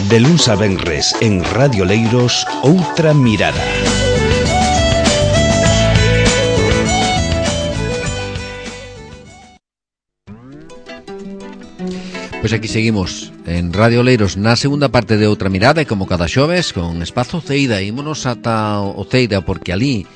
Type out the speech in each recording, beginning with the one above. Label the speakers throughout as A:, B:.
A: De luns a venres en Radio Leiros, Outra Mirada.
B: Pois aquí seguimos en Radio Leiros na segunda parte de Outra Mirada, e como cada xoves con Espazo Ceida. Ímonos ata o Ceida porque ali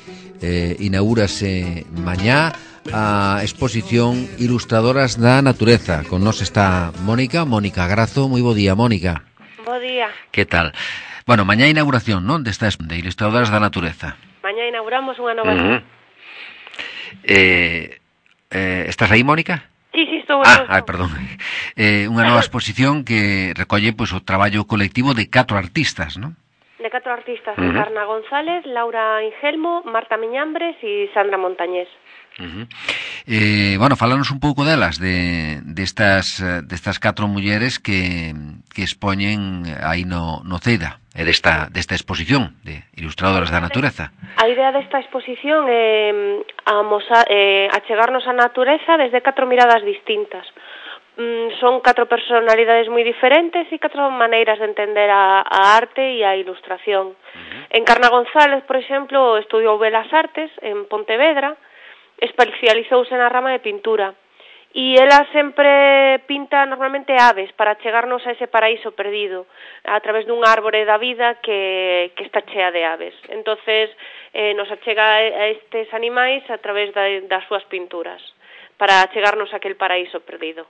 B: inaugúrase mañá a exposición Ilustradoras da Natureza. Con nós está Mónica Grazo. Moi bo día, Mónica.
C: Bo día.
B: Que tal? Bueno, mañá inauguración, non? De Ilustradoras da Natureza.
C: Mañá inauguramos unha nova...
B: Estás aí, Mónica?
C: Sí, estou.
B: Perdón. Unha nova exposición que recolle pois, o traballo colectivo de 4 artistas, non?
C: De 4 artistas, Encarna González, Laura Ingelmo, Marta Miñambres e Sandra Montañés.
B: Bueno, fálanos un pouco delas, destas 4 mulleres que expoñen aí no CEDA, e desta exposición de Ilustradoras da Natureza.
C: A idea desta exposición é achegarnos á natureza desde 4 miradas distintas. Son 4 personalidades moi diferentes e 4 maneiras de entender a arte e a ilustración. Encarna González, por exemplo, estudiou Belas Artes en Pontevedra, especializouse na rama de pintura, e ela sempre pinta normalmente aves para chegarnos a ese paraíso perdido a través dun árbore da vida que está chea de aves. Entonces nos achega a estes animais a través das súas pinturas para chegarnos a aquel paraíso perdido.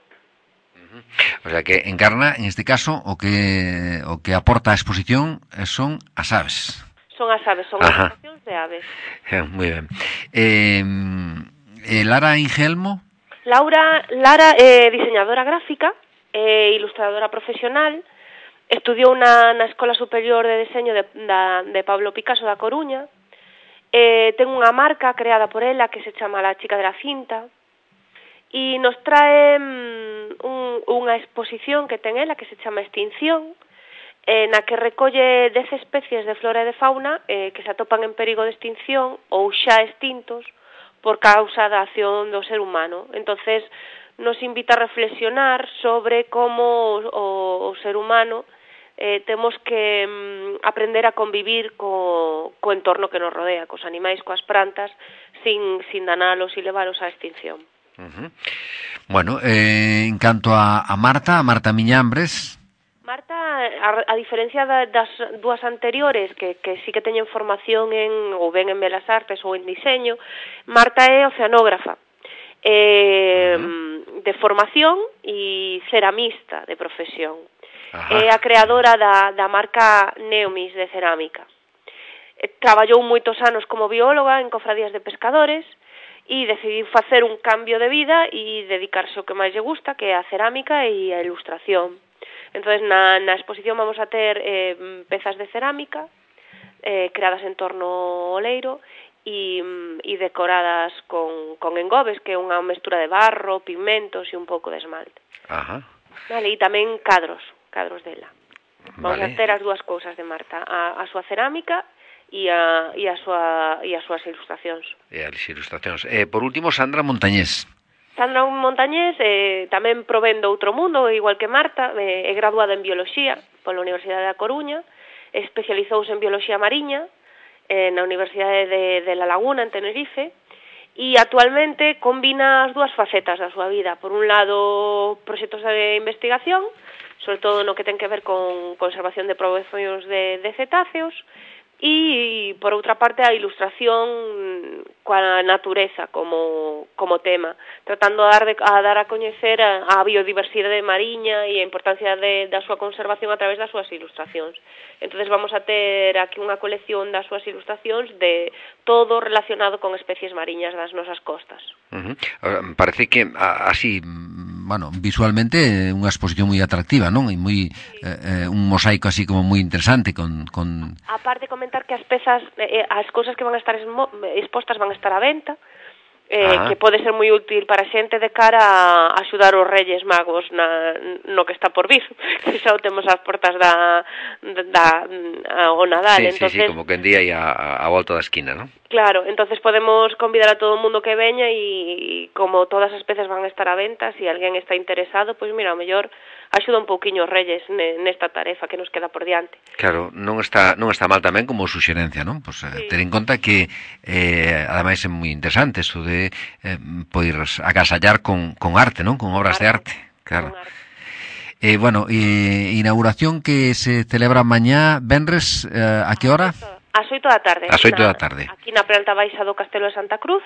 B: O sea que Encarna, en este caso, o que aporta a exposición son as aves.
C: Son as aves, son ilustracións de aves.
B: Moi ben. Lara Ingelmo?
C: Lara é diseñadora gráfica, é ilustradora profesional, estudiou na Escola Superior de Deseño de Pablo Picasso da Coruña, ten unha marca creada por ela que se chama La Chica de la Cinta, e nos trae unha exposición que ten ela que se chama Extinción, na que recolle 10 especies de flora e de fauna que se atopan en perigo de extinción ou xa extintos por causa da acción do ser humano. Entonces nos invita a reflexionar sobre como o ser humano temos que aprender a convivir co entorno que nos rodea, cos animais, coas plantas, sin danalos e levalos á extinción.
B: Bueno, en canto a Marta Miñambres...
C: Marta, a diferencia das dúas anteriores, que sí que teñen formación ou ben en Belas Artes ou en diseño, Marta é oceanógrafa de formación e ceramista de profesión. É a creadora da marca Neomis de cerámica. Traballou moitos anos como bióloga en cofradías de pescadores e decidiu facer un cambio de vida e dedicarse ao que máis lle gusta, que é a cerámica e a ilustración. Entonces, na exposición vamos a ter pezas de cerámica creadas en torno ao leiro e decoradas con engobes, que é unha mestura de barro, pigmentos e un pouco de esmalte. Vale, e tamén cadros dela. Vamos a ter as dúas cousas de Marta, a súa cerámica e as súas ilustracións.
B: Por último, Sandra Montañés.
C: Sandra Montañés tamén provén do outro mundo, igual que Marta, é graduada en Bioloxía pola Universidade da Coruña, especializouse en Bioloxía Mariña na Universidade de La Laguna, en Tenerife, e actualmente combina as dúas facetas da súa vida. Por un lado, proxectos de investigación, sobre todo no que ten que ver con conservación de poblacións de cetáceos, e, por outra parte, a ilustración coa natureza como tema, tratando a dar a coñecer a biodiversidade mariña e a importancia da súa conservación a través das súas ilustracións. Entonces vamos a ter aquí unha colección das súas ilustracións de todo relacionado con especies mariñas das nosas costas.
B: Parece que así... Bueno, visualmente unha exposición moi atractiva, non? E moi un mosaico así como moi interesante con...
C: Aparte comentar que as pezas, as cousas que van a estar expostas van a estar á venta, que pode ser moi útil para xente de cara a axudar os Reyes Magos no que está por vir, que xa o temos ás portas o Nadal.
B: Sí, como que en día e a volta da esquina, non?
C: Claro, entonces podemos convidar a todo o mundo que veña e como todas as peces van a estar á venta, se alguén está interesado, pois mira, ao mellor axuda un pouquiño os Reyes nesta tarefa que nos queda por diante.
B: Claro, non está mal tamén como suxerencia, non? Pois sí. Ter en conta que ademais é moi interesante isto de poder agasallar con arte, non? Con obras de arte, claro. Bueno, inauguración que se celebra mañá, venres, a que hora?
C: Ás 8 da tarde.
B: Ás 8 da tarde.
C: Aquí na planta baixa do Castelo de Santa Cruz.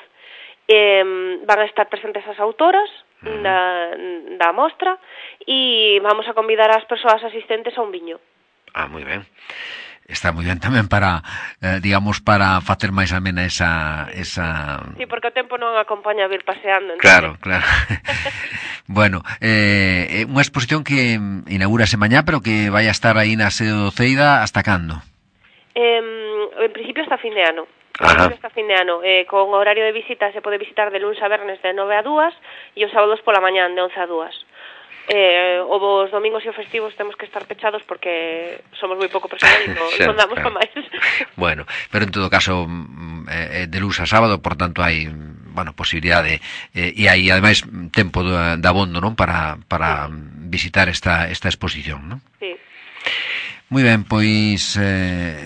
C: Van a estar presentes as autoras da mostra e vamos a convidar as persoas asistentes a un viño.
B: Moi ben. Está moi ben tamén para, digamos, para facer máis amena esa...
C: Sí, porque o tempo non acompaña a vir paseando.
B: Claro, claro. Bueno, unha exposición que inaugúrase mañá, pero que vai a estar aí na sede do Ceida hasta cando?
C: En principio hasta fin de ano.
B: Hasta
C: fin de ano. Con horario de visita se pode visitar de lunes a vernes de 9 a 2 e os sábados pola mañán de 11 a 2. Os domingos e os festivos temos que estar pechados porque somos moi pouco personal e non damos para máis.
B: Bueno, pero en todo caso de lunes a sábado, por tanto hai posibilidade e hai ademais tempo de abondo, non, para visitar esta exposición, non?
C: Sí.
B: Moi ben, pois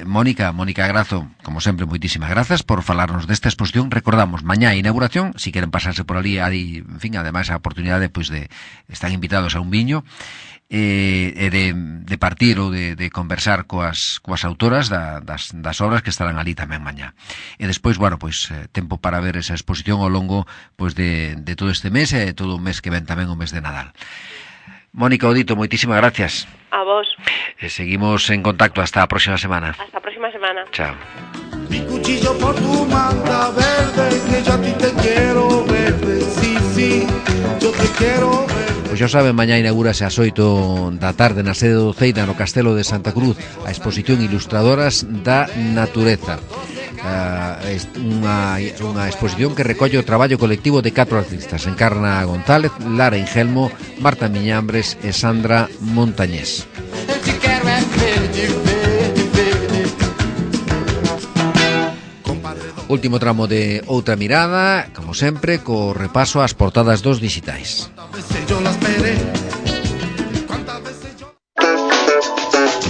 B: Mónica Grazo, como sempre, moitísimas grazas por falarnos desta exposición. Recordamos, mañá a inauguración, si queren pasarse por ali, hai, en fin, ademais a oportunidade pois de están invitados a un viño e de partir ou de conversar coas autoras das obras que estarán ali tamén mañá. E despois, tempo para ver esa exposición ao longo pois de todo este mes e todo o mes que ven tamén o mes de Nadal. Mónica Odito, moitísimas gracias.
C: A vos.
B: Seguimos en contacto hasta a próxima semana.
C: Hasta a próxima semana.
B: Chao.
D: Mi cuchillo por tu manta verde, que yo a ti te quiero verde, sí, yo te quiero verde.
B: Pois xa saben, mañá inaugúrase ás 8 da tarde na sede do Ceida, no Castelo de Santa Cruz, a exposición Ilustradoras da Natureza. Unha exposición que recolle o traballo colectivo de 4 artistas: Encarna González, Lara Ingelmo, Marta Miñambres e Sandra Montañés. Último tramo de Outra Mirada, como sempre, co repaso ás portadas dos dixitais.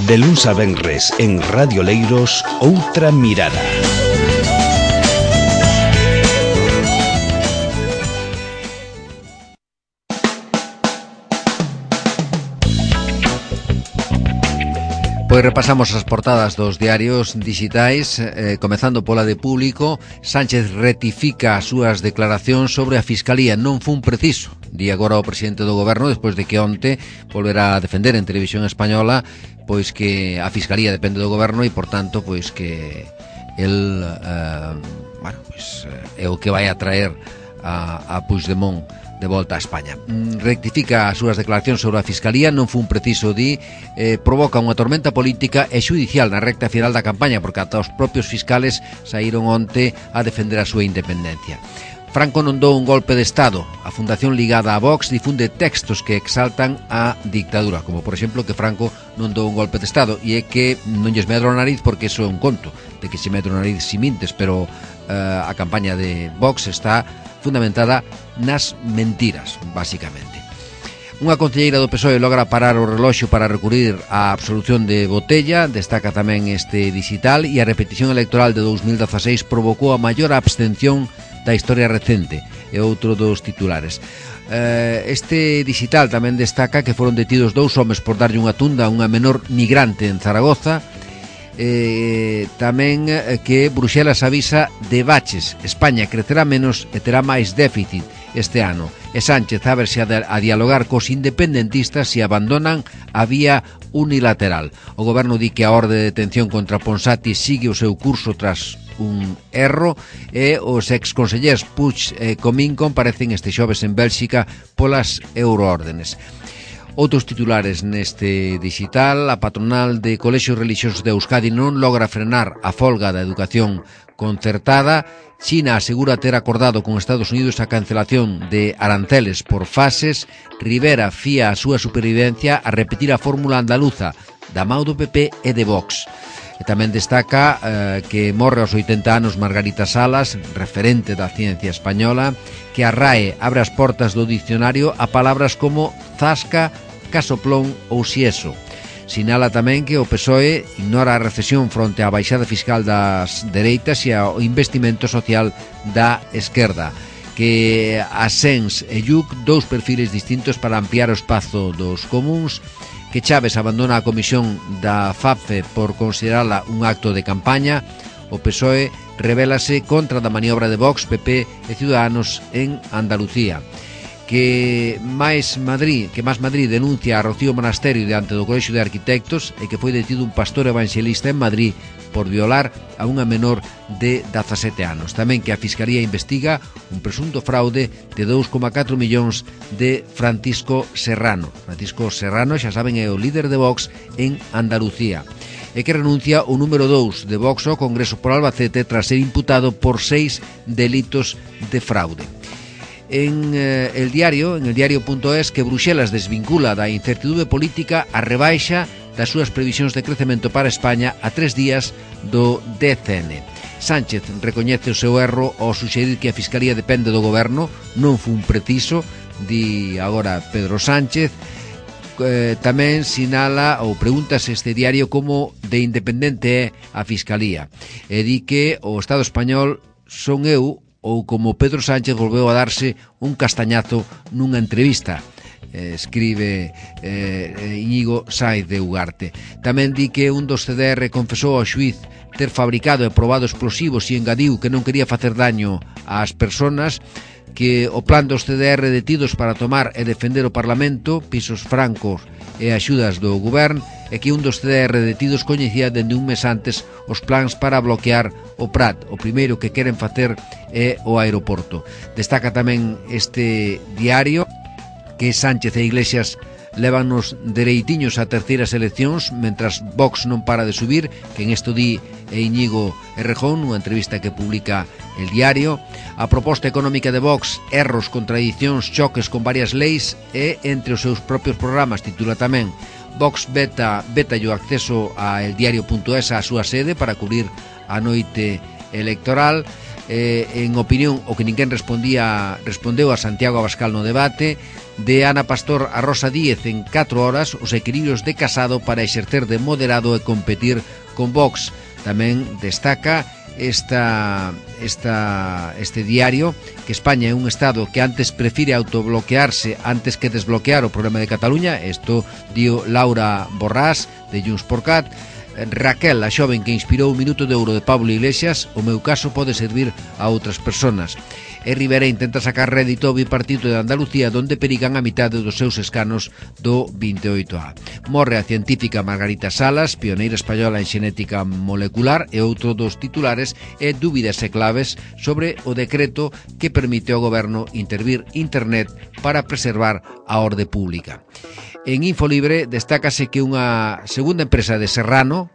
A: De luns a venres en Radio Leiros, Outra Mirada.
B: Pois repasamos as portadas dos diarios dixitais, comezando pola de Público. Sánchez rectifica as súas declaracións sobre a Fiscalía. Non fun preciso, di agora o presidente do Goberno, despois de que onte volverá a defender en Televisión Española pois que a Fiscalía depende do Goberno e, por tanto, pois que el é o que vai a traer a Puigdemont de volta a España. Rectifica as súas declaracións sobre a Fiscalía. Non fun preciso, provoca unha tormenta política e xudicial na recta final da campaña, porque ata os propios fiscales saíron onte a defender a súa independencia. Franco non dou un golpe de Estado. A fundación ligada a Vox difunde textos que exaltan a dictadura, como por exemplo que Franco non dou un golpe de Estado, e é que non lles medro a nariz, porque iso é un conto de que se medro a nariz si mintes, pero a campaña de Vox está fundamentada nas mentiras, basicamente. Unha concelleira do PSOE logra parar o reloxo para recurrir á absolución de Botella. Destaca tamén este dixital. E a repetición electoral de 2016 provocou a maior abstención da historia recente, é outro dos titulares. Este dixital tamén destaca que foron detidos 2 homes por darlle unha tunda a unha menor migrante en Zaragoza. Tamén que Bruxelas avisa de baches. España crecerá menos e terá máis déficit este ano. E Sánchez a verse a dialogar cos independentistas se abandonan a vía unilateral. O goberno di que a orde de detención contra Ponsati sigue o seu curso tras un erro, e os exconsellers Puig e Comín comparecen este xoves en Bélxica polas euroórdenes. Outros titulares neste dixital: a patronal de colexios relixiosos de Euskadi non logra frenar a folga da educación concertada. China asegura ter acordado con Estados Unidos a cancelación de aranceles por fases. Rivera fía a súa supervivencia a repetir a fórmula andaluza da mao do PP e de Vox. E tamén destaca que morre aos 80 anos Margarita Salas, referente da ciencia española, que a RAE abre as portas do dicionario a palabras como zasca, casoplón ou xieso. Sinala tamén que o PSOE ignora a recesión fronte á baixada fiscal das dereitas e ao investimento social da esquerda, que Asens e Lluc, dous perfiles distintos para ampliar o espazo dos comuns, que Chaves abandona a comisión da FAPFE por considerala un acto de campaña. O PSOE rebélase contra da maniobra de Vox, PP e Ciudadanos en Andalucía. Que Más Madrid denuncia a Rocío Monasterio diante do Colexio de Arquitectos e que foi detido un pastor evangelista en Madrid por violar a unha menor de 17 anos. Tamén que a Fiscalía investiga un presunto fraude de 2,4 millóns de Francisco Serrano. Francisco Serrano, xa saben, é o líder de Vox en Andalucía, e que renuncia o número 2 de Vox ao Congreso por Albacete tras ser imputado por 6 delitos de fraude. En el diario.es, que Bruxelas desvincula da incertidumbre política a rebaixa das súas previsións de crecemento para España a 3 días do DCN. Sánchez recoñece o seu erro ao suxerir que a Fiscalía depende do Goberno, non fun preciso, di agora Pedro Sánchez. Tamén sinala ou pregúntase este diario como de independente é a Fiscalía, e di que o Estado español son eu ou como Pedro Sánchez volveu a darse un castañazo nunha entrevista, escribe Íñigo Sáez de Ugarte. Tamén di que un dos CDR confesou ao xuiz ter fabricado e probado explosivos e engadiu que non quería facer daño ás persoas, que o plan dos CDR detidos para tomar e defender o Parlamento, pisos francos e axudas do Govern, e que un dos CDR detidos coñecía dende un mes antes os plans para bloquear o Prat. O primeiro que queren facer é o aeroporto. Destaca tamén este diario que Sánchez e Iglesias lévanos dereitiños a terceiras eleccións, mentras Vox non para de subir, que en esto di Íñigo Errejón nunha entrevista que publica el diario. A proposta económica de Vox, erros, contradicións, choques con varias leis e entre os seus propios programas, titula tamén. Vox veta o acceso a eldiario.es á súa sede para cubrir a noite electoral. En opinión, o que ninguén respondeu a Santiago Abascal no debate. De Ana Pastor a Rosa Díez en 4 horas, os equilibrios de Casado para exercer de moderado e competir con Vox. Tamén destaca este diario que España é un Estado que antes prefire autobloquearse antes que desbloquear o problema de Cataluña. Isto dio Laura Borrás de Junts por Cat. Raquel, a xoven que inspirou o Minuto de Ouro de Pablo Iglesias, o meu caso pode servir a outras persoas. E Rivera intenta sacar rédito ao bipartito de Andalucía, donde perigan a mitade dos seus escanos do 28A. Morre a científica Margarita Salas, pioneira española en xenética molecular, e outro dos titulares é dúbidas e claves sobre o decreto que permite ao goberno intervir internet para preservar a orde pública. En Infolibre destácase que unha segunda empresa de Serrano,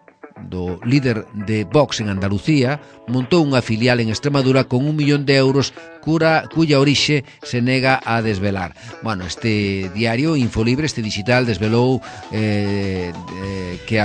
B: do líder de Vox en Andalucía, montou unha filial en Extremadura con 1 millón de euros cuya orixe se nega a desvelar. Bueno, este diario Infolibre, este digital, desvelou que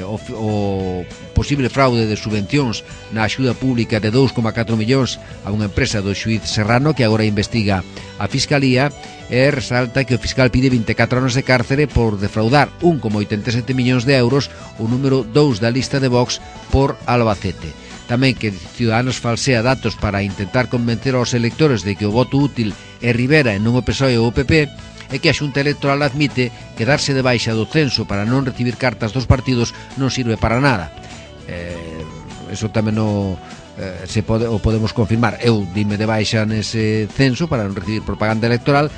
B: o posible fraude de subvencións na axuda pública de 2,4 millóns a unha empresa do xuiz Serrano, que agora investiga a Fiscalía, e resalta que o fiscal pide 24 anos de cárcere por defraudar 1,87 millóns de euros, o número 2 da lista de Vox por Albacete. Tamén que Ciudadanos falsea datos para intentar convencer aos electores de que o voto útil é Rivera e non o PSOE ou o PP, e que a Xunta Electoral admite que darse de baixa do censo para non recibir cartas dos partidos non sirve para nada. Eso tamén o podemos confirmar. Eu dime de baixa nese censo para non recibir propaganda electoral.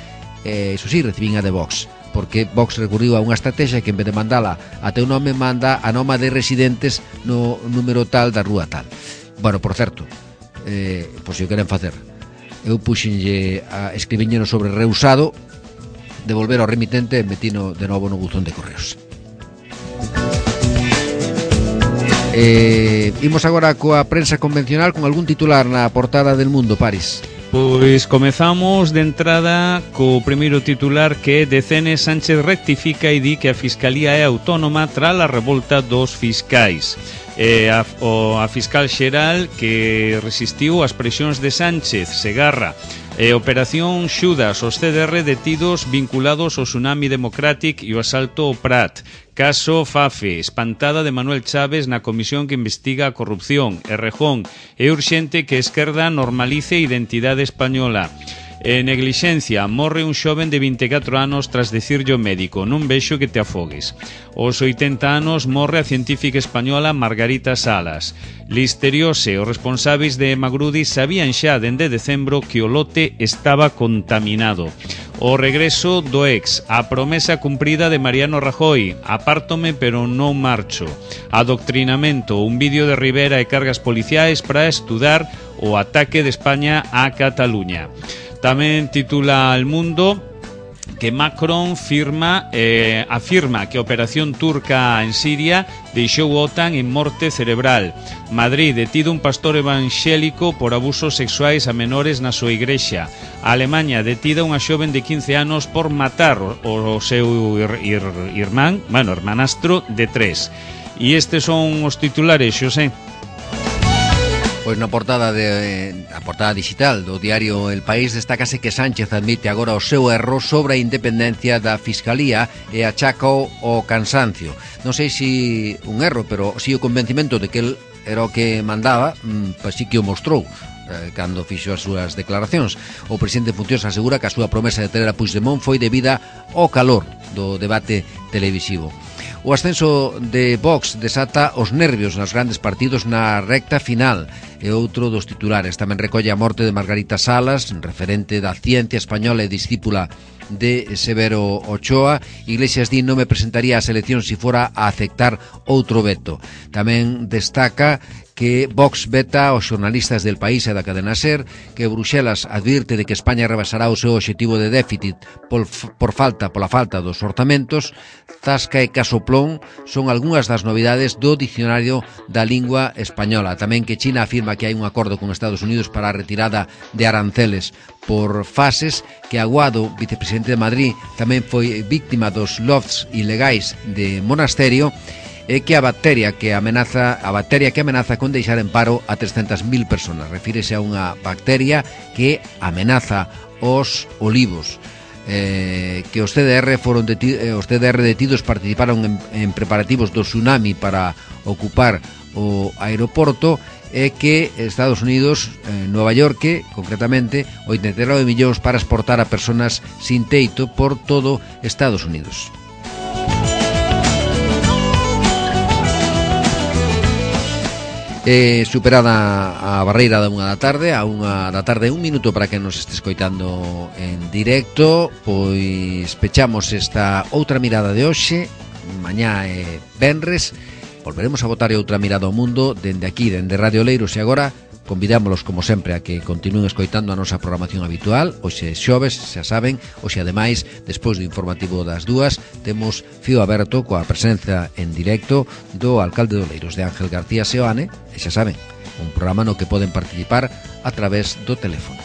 B: Eso sí, recibín a de Vox, porque Vox recurriu a unha estrategia que en vez de mandala a teu nome, manda a nome de residentes no número tal da rúa tal. Bueno, por certo, por se o queren facer, eu puxenlle escribiñeno sobre reusado, devolver ao remitente e metino de novo no buzón de correos. Imos agora coa prensa convencional con algún titular na portada del Mundo, Paris.
E: Pois comezamos de entrada co primeiro titular, que DCN Sánchez rectifica e di que a Fiscalía é autónoma tras a revolta dos fiscais. A fiscal xeral que resistiu as presións de Sánchez, Segarra, Operación Xudas, os CDR detidos vinculados ao Tsunami Democratic e o asalto ao Prat. Caso Fafe, espantada de Manuel Chaves na comisión que investiga a corrupción. Errejón, é urxente que a esquerda normalice a identidade española. Neglixencia, morre un xoven de 24 anos tras decirlle ao médico: non vexo que te afogues. Aos 80 anos morre a científica española Margarita Salas. Listeriose, os responsáveis de Magrudi sabían xa dende decembro que o lote estaba contaminado. O regreso do ex, a promesa cumprida de Mariano Rajoy: apártome pero non marcho. Adoctrinamento, un vídeo de Rivera e cargas policiais para estudar o ataque de España a Cataluña. Tamén titula El Mundo que Macron afirma que a operación turca en Siria deixou a OTAN en morte cerebral. Madrid, detido un pastor evangélico por abusos sexuais a menores na súa igrexa. Alemanha, detida unha xoven de 15 anos por matar o seu hermanastro de 3. E estes son os titulares, Xosé.
B: Pois na portada a portada digital do diario El País destácase que Sánchez admite agora o seu erro sobre a independencia da Fiscalía e achacao o cansancio. Non sei se un erro, pero si o convencimento de que el era o que mandaba, pois sí que o mostrou cando fixo as súas declaracións. O presidente en funcións asegura que a súa promesa de ter a Puigdemont foi debida ao calor do debate televisivo. O ascenso de Vox desata os nervios nos grandes partidos na recta final. E outro dos titulares tamén recolle a morte de Margarita Salas, referente da ciencia española e discípula de Severo Ochoa. Iglesias di: non me presentaría ás eleccións se fora a aceptar outro veto. Tamén destaca que Vox veta aos xornalistas del País e da cadena SER, que Bruxelas advirte de que España rebasará o seu obxectivo de déficit pola falta dos orzamentos. Tasca e casoplón son algunhas das novidades do dicionario da lingua española. Tamén que China afirma que hai un acordo con Estados Unidos para a retirada de aranceles por fases, que Aguado, vicepresidente de Madrid, tamén foi víctima dos lofts ilegais de Monasterio, e que a bacteria que amenaza con deixar en paro a 300.000 personas. Refírese a unha bacteria que amenaza os olivos. Que os CDR detidos participaron en preparativos do tsunami para ocupar o aeroporto, e que Estados Unidos, Nova York concretamente, 89 millóns para exportar a personas sin teito por todo Estados Unidos. Superada a barreira da 1 da tarde, a 1 da tarde, un minuto para que nos este escoitando en directo, pois pechamos esta outra mirada de hoxe. Mañá é venres, volveremos a botar outra mirada ao mundo dende aquí, dende Radio Leiros, e agora convidámoslos, como sempre, a que continúen escoitando a nosa programación habitual. Hoxe xoves, xa saben, hoxe ademais, despois do informativo das 2, temos fío aberto coa presenza en directo do alcalde de Oleiros, de Ángel García Seoane, e xa saben, un programa no que poden participar a través do teléfono.